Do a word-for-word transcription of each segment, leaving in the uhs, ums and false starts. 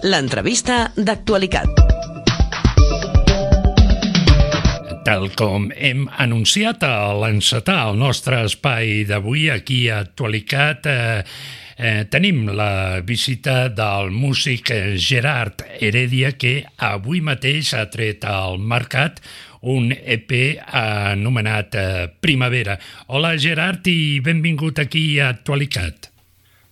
l'entrevista d'actualitat. Tal com hem anunciat a l'encetar el nostre espai d'avui aquí a Actualitat, eh, eh, tenim la visita del músic Gerard Heredia, que avui mateix ha tret al mercat un E P anomenat eh, Primavera. Hola Gerard i benvingut aquí a Actualitat.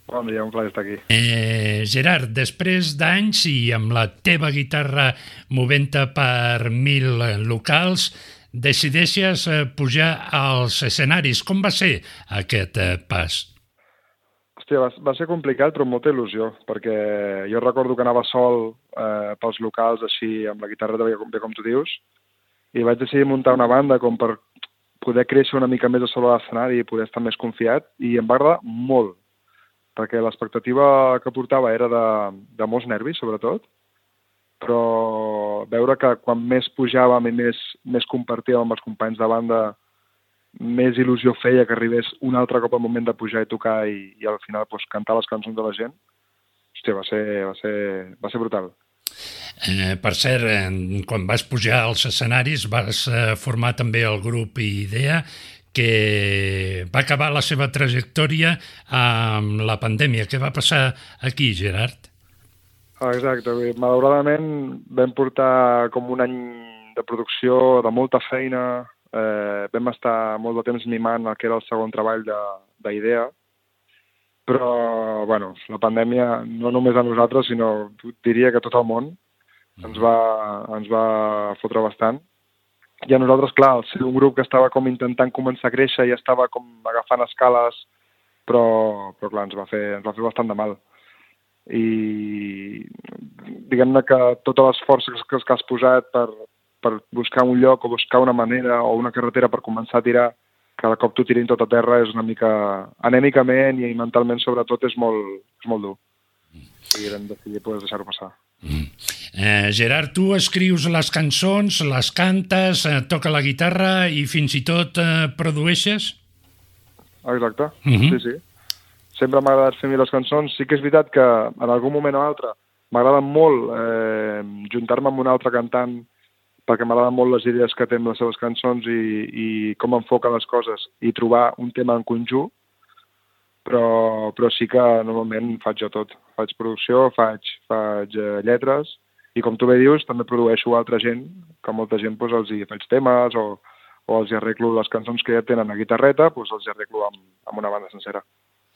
Bon dia, un plaer estar aquí. Eh, Gerard, després d'anys i amb la teva guitarra movent-te per mil locals, decideixes eh, pujar als escenaris. Com va ser aquest eh, pas? Hòstia, va, va ser complicat, però amb molta il·lusió, perquè jo recordo que anava sol eh, pels locals, així, amb la guitarra bé, bé com tu dius, i vaig decidir muntar una banda com per poder créixer una mica més a sobre l'escenari i poder estar més confiat, i em va agradar molt, perquè l'expectativa que portava era de, de molts nervis, sobretot, però veure que quan més pujàvem i més, més compartíem amb els companys de banda, més il·lusió feia que arribés un altre cop al moment de pujar i tocar i, i al final pues, cantar les cançons de la gent. Hòstia, va ser, va ser, va ser brutal. Eh, per cert, eh, quan vas pujar als escenaris vas eh, formar també el grup Idea, que va acabar la seva trajectòria amb la pandèmia. Què va passar aquí, Gerard? Exacte. Malauradament vam portar com un any de producció, de molta feina. Eh, vam estar molt de temps mimant el que era el segon treball d'Idea. Però, bueno, la pandèmia, no només a nosaltres, sinó diria que tot el món, ens va, ens va fotre bastant. I a nosaltres, clar, al ser un grup que estava com intentant començar a créixer i estava com agafant escales, però, però clar, ens va fer, ens va fer bastant de mal. I diguem-ne que totes les forces que, que has posat per, per buscar un lloc o buscar una manera o una carretera per començar a tirar, cada cop t'ho tirin tot a terra és una mica, anèmicament i mentalment sobretot, és molt, és molt dur. I vam decidir pues, deixar-ho passar. Mm. Eh, Gerard, tu escrius les cançons, les cantes, eh, toca la guitarra i fins i tot eh, produeixes? Exacte, uh-huh. sí, sí. Sempre m'ha agradat fer les cançons. Sí que és veritat que en algun moment o altre m'agrada molt eh, juntar-me amb un altre cantant perquè m'agraden molt les idees que té amb les seves cançons i, i com enfoca les coses i trobar un tema en conjunt, però, però sí que normalment faig jo tot. Faig producció, faig, faig eh, lletres, i com tu bé dius, també produeixo altra gent, que molta gent doncs, els hi faig temes o, o els hi arreglo les cançons que ja tenen a guitarreta, doncs els hi arreglo amb, amb una banda sencera.